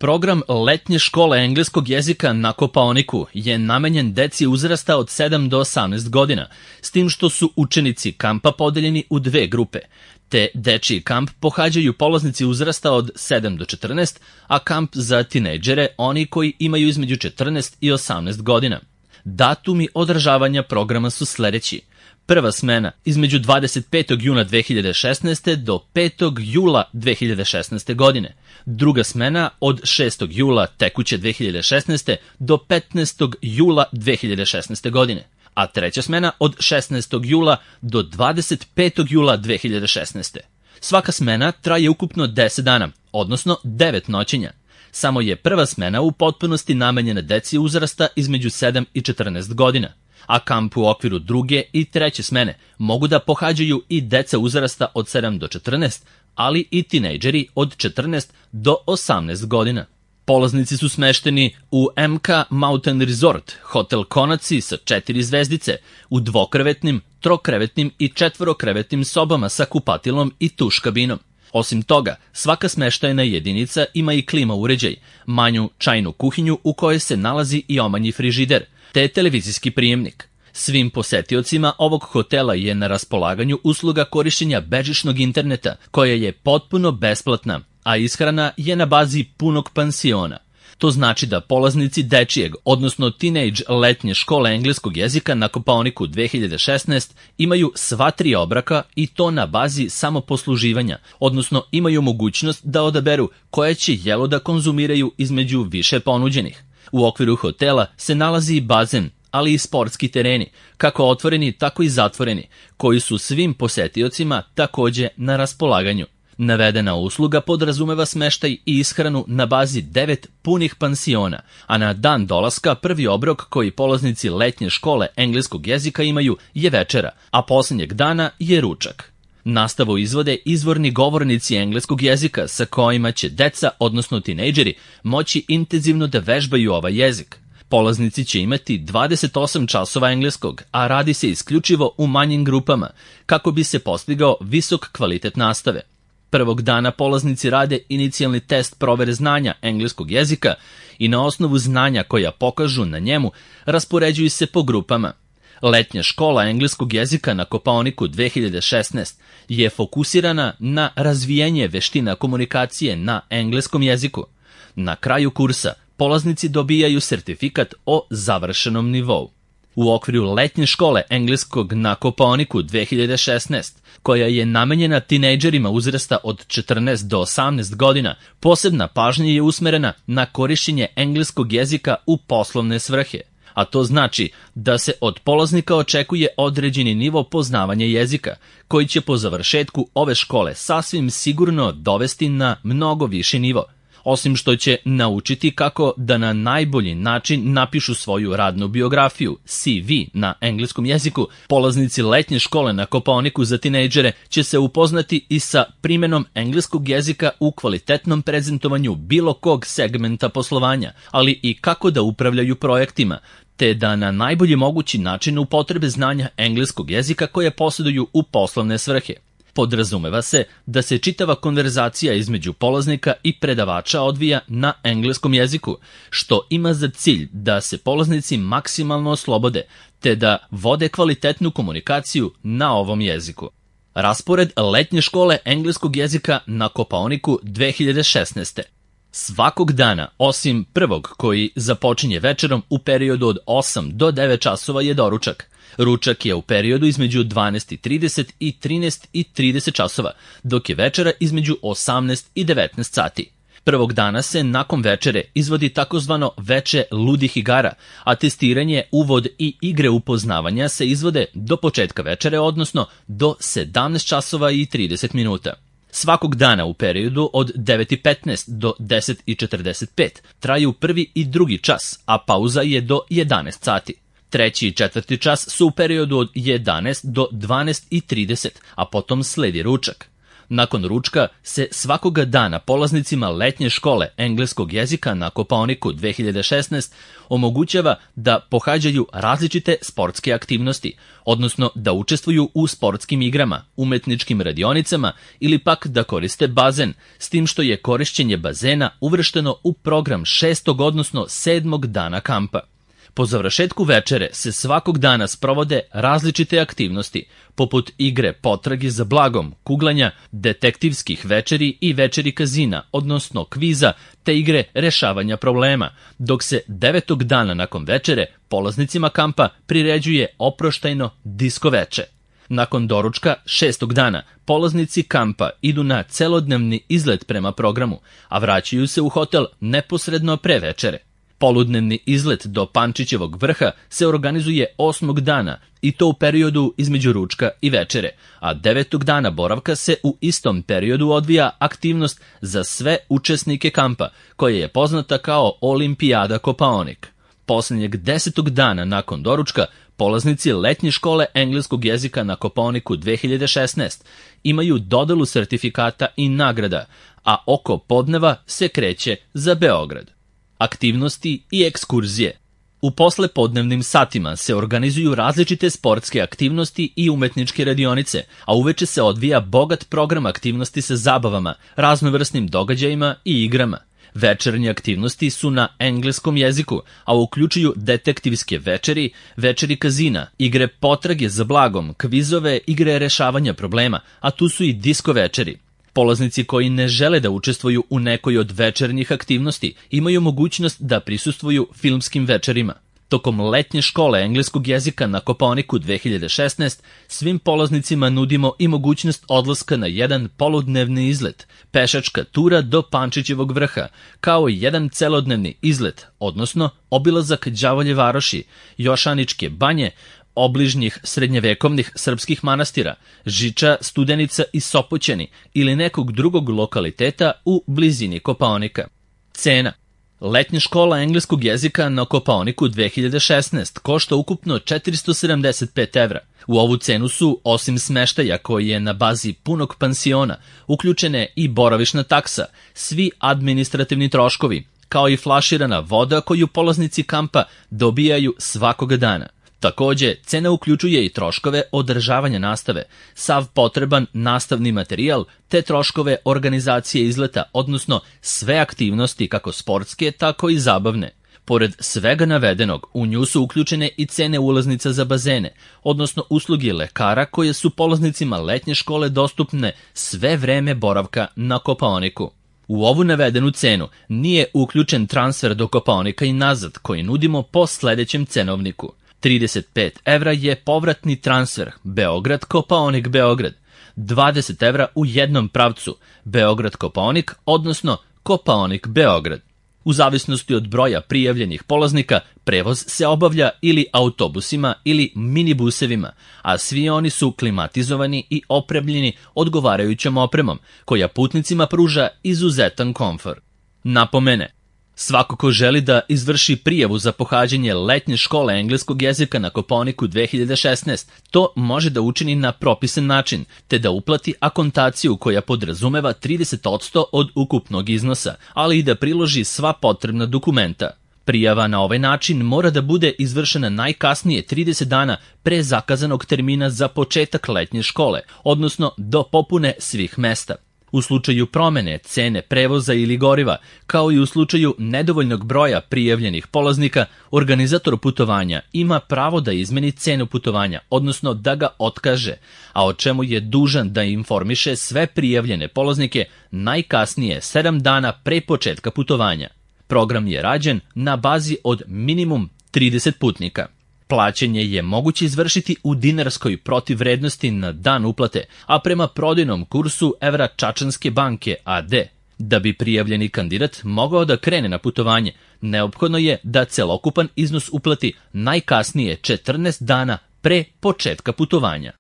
Program letnje škole engleskog jezika na Kopaoniku je namenjen deci uzrasta od 7 do 18 godina, s tim što su učenici kampa podeljeni u dve grupe. Te dečiji kamp pohađaju polaznici uzrasta od 7 do 14, a kamp za tinejdžere oni koji imaju između 14 i 18 godina. Datumi održavanja programa su sledeći. Prva smena između 25. juna 2016. do 5. jula 2016. godine. Druga smena od 6. jula tekuće 2016. do 15. jula 2016. godine. A treća smena od 16. jula do 25. jula 2016. Svaka smena traje ukupno 10 dana, odnosno 9 noćenja. Samo je prva smena u potpunosti namenjena deci uzrasta između 7 i 14 godina, a kamp u okviru druge i treće smene mogu da pohađaju i deca uzrasta od 7 do 14, ali i tinejdžeri od 14 do 18 godina. Polaznici su smešteni u MK Mountain Resort, hotel Konaci sa 4 zvezdice, u dvokrevetnim, trokrevetnim i četvorokrevetnim sobama sa kupatilom i tuš kabinom. Osim toga, svaka smeštajna jedinica ima i klima uređaj, manju čajnu kuhinju u kojoj se nalazi i omanji frižider, te televizijski prijemnik. Svim posetiocima ovog hotela je na raspolaganju usluga korišćenja bežičnog interneta, koja je potpuno besplatna, a ishrana je na bazi punog pansiona. To znači da polaznici dečijeg, odnosno teenage letnje škole engleskog jezika na Kopaoniku 2016 imaju sva 3 obroka i to na bazi samoposluživanja, odnosno imaju mogućnost da odaberu koje će jelo da konzumiraju između više ponuđenih. U okviru hotela se nalazi i bazen, ali i sportski tereni, kako otvoreni tako i zatvoreni, koji su svim posetiocima takođe na raspolaganju. Navedena usluga podrazumeva smeštaj i ishranu na bazi 9 punih pansiona, a na dan dolaska prvi obrok koji polaznici letnje škole engleskog jezika imaju je večera, a poslednjeg dana je ručak. Nastavu izvode izvorni govornici engleskog jezika sa kojima će deca, odnosno tinejdžeri, moći intenzivno da vežbaju ovaj jezik. Polaznici će imati 28 časova engleskog, a radi se isključivo u manjim grupama, kako bi se postigao visok kvalitet nastave. Prvog dana polaznici rade inicijalni test provere znanja engleskog jezika i na osnovu znanja koja pokažu na njemu raspoređuju se po grupama. Letnja škola engleskog jezika na Kopaoniku 2016 je fokusirana na razvijanje veština komunikacije na engleskom jeziku. Na kraju kursa polaznici dobijaju sertifikat o završenom nivou. U okviru letnje škole engleskog na Kopaoniku 2016, koja je namenjena tinejdžerima uzrasta od 14 do 18 godina, posebna pažnja je usmerena na korišćenje engleskog jezika u poslovne svrhe. A to znači da se od polaznika očekuje određeni nivo poznavanja jezika, koji će po završetku ove škole sasvim sigurno dovesti na mnogo viši nivo. Osim što će naučiti kako da na najbolji način napišu svoju radnu biografiju, CV na engleskom jeziku, polaznici letnje škole na Kopaoniku za tinejdžere će se upoznati i sa primenom engleskog jezika u kvalitetnom prezentovanju bilo kog segmenta poslovanja, ali i kako da upravljaju projektima, te da na najbolji mogući način upotrebe znanja engleskog jezika koje posjeduju u poslovne svrhe. Podrazumeva se da se čitava konverzacija između polaznika i predavača odvija na engleskom jeziku, što ima za cilj da se polaznici maksimalno oslobode, te da vode kvalitetnu komunikaciju na ovom jeziku. Raspored letnje škole engleskog jezika na Kopaoniku 2016. Svakog dana, osim prvog koji započinje večerom u periodu od 8 do 9 časova je doručak. Ručak je u periodu između 12:30 i 13:30 časova, dok je večera između 18 i 19 sati. Prvog dana se nakon večere izvodi takozvano veče ludih igara, a testiranje, uvod i igre upoznavanja se izvode do početka večere, odnosno do 17 časova i 30 minuta. Svakog dana u periodu od 9:15 do 10:45 traju prvi i drugi čas, a pauza je do 11 sati. Treći i četvrti čas su u periodu od 11 do 12:30, a potom sledi ručak. Nakon ručka se svakoga dana polaznicima letnje škole engleskog jezika na Kopaoniku 2016 omogućava da pohađaju različite sportske aktivnosti, odnosno da učestvuju u sportskim igrama, umetničkim radionicama ili pak da koriste bazen, s tim što je korišćenje bazena uvršteno u program 6. odnosno 7. dana kampa. Po završetku večere se svakog dana sprovode različite aktivnosti, poput igre potrage za blagom, kuglanja, detektivskih večeri i večeri kazina, odnosno kviza, te igre rešavanja problema, dok se 9. dana nakon večere polaznicima kampa priređuje oproštajno disko veče. Nakon doručka 6. dana polaznici kampa idu na celodnevni izlet prema programu, a vraćaju se u hotel neposredno pre večere. Poludnevni izlet do Pančićevog vrha se organizuje 8. dana i to u periodu između ručka i večere, a 9. dana boravka se u istom periodu odvija aktivnost za sve učesnike kampa, koja je poznata kao Olimpijada Kopaonik. Poslednjeg 10. dana nakon doručka polaznici letnje škole engleskog jezika na Kopaoniku 2016 imaju dodelu sertifikata i nagrada, a oko podneva se kreće za Beograd. Aktivnosti i ekskurzije. U poslepodnevnim satima se organizuju različite sportske aktivnosti i umetničke radionice, a uveče se odvija bogat program aktivnosti sa zabavama, raznovrsnim događajima i igrama. Večernje aktivnosti su na engleskom jeziku, a uključuju detektivske večeri, večeri kazina, igre potrage za blagom, kvizove, igre rešavanja problema, a tu su i disko večeri. Polaznici koji ne žele da učestvuju u nekoj od večernjih aktivnosti imaju mogućnost da prisustvuju filmskim večerima. Tokom letnje škole engleskog jezika na Kopaoniku 2016 svim polaznicima nudimo i mogućnost odlaska na jedan poludnevni izlet, pešačka tura do Pančićevog vrha, kao i jedan celodnevni izlet, odnosno obilazak Đavolje varoši, Jošaničke banje, obližnjih srednjevekovnih srpskih manastira, Žiča, Studenica i Sopoćani ili nekog drugog lokaliteta u blizini Kopaonika. Cena. Letnja škola engleskog jezika na Kopaoniku 2016 košta ukupno 475 evra. U ovu cenu su, osim smeštaja koji je na bazi punog pansiona, uključene i boravišna taksa, svi administrativni troškovi, kao i flaširana voda koju polaznici kampa dobijaju svakoga dana. Takođe, cena uključuje i troškove održavanja nastave, sav potreban nastavni materijal, te troškove organizacije izleta, odnosno sve aktivnosti kako sportske, tako i zabavne. Pored svega navedenog, u nju su uključene i cene ulaznica za bazene, odnosno usluge lekara koje su polaznicima letnje škole dostupne sve vreme boravka na Kopaoniku. U ovu navedenu cenu nije uključen transfer do Kopaonika i nazad koji nudimo po sledećem cenovniku. 35 evra je povratni transfer Beograd-Kopaonik-Beograd, 20 evra u jednom pravcu Beograd-Kopaonik, odnosno Kopaonik-Beograd. U zavisnosti od broja prijavljenih polaznika, prevoz se obavlja ili autobusima ili minibusevima, a svi oni su klimatizovani i opremljeni odgovarajućom opremom, koja putnicima pruža izuzetan komfor. Napomene. Svako ko želi da izvrši prijavu za pohađanje letnje škole engleskog jezika na Kopaoniku 2016, to može da učini na propisan način, te da uplati akontaciju koja podrazumeva 30% od ukupnog iznosa, ali i da priloži sva potrebna dokumenta. Prijava na ovaj način mora da bude izvršena najkasnije 30 dana pre zakazanog termina za početak letnje škole, odnosno do popune svih mesta. U slučaju promene cene prevoza ili goriva, kao i u slučaju nedovoljnog broja prijavljenih polaznika, organizator putovanja ima pravo da izmeni cenu putovanja, odnosno da ga otkaže, a o čemu je dužan da informiše sve prijavljene polaznike najkasnije 7 dana pre početka putovanja. Program je rađen na bazi od minimum 30 putnika. Plaćanje je moguće izvršiti u dinarskoj protivvrednosti na dan uplate, a prema prodajnom kursu evra Čačanske banke AD. Da bi prijavljeni kandidat mogao da krene na putovanje, neophodno je da celokupan iznos uplati najkasnije 14 dana pre početka putovanja.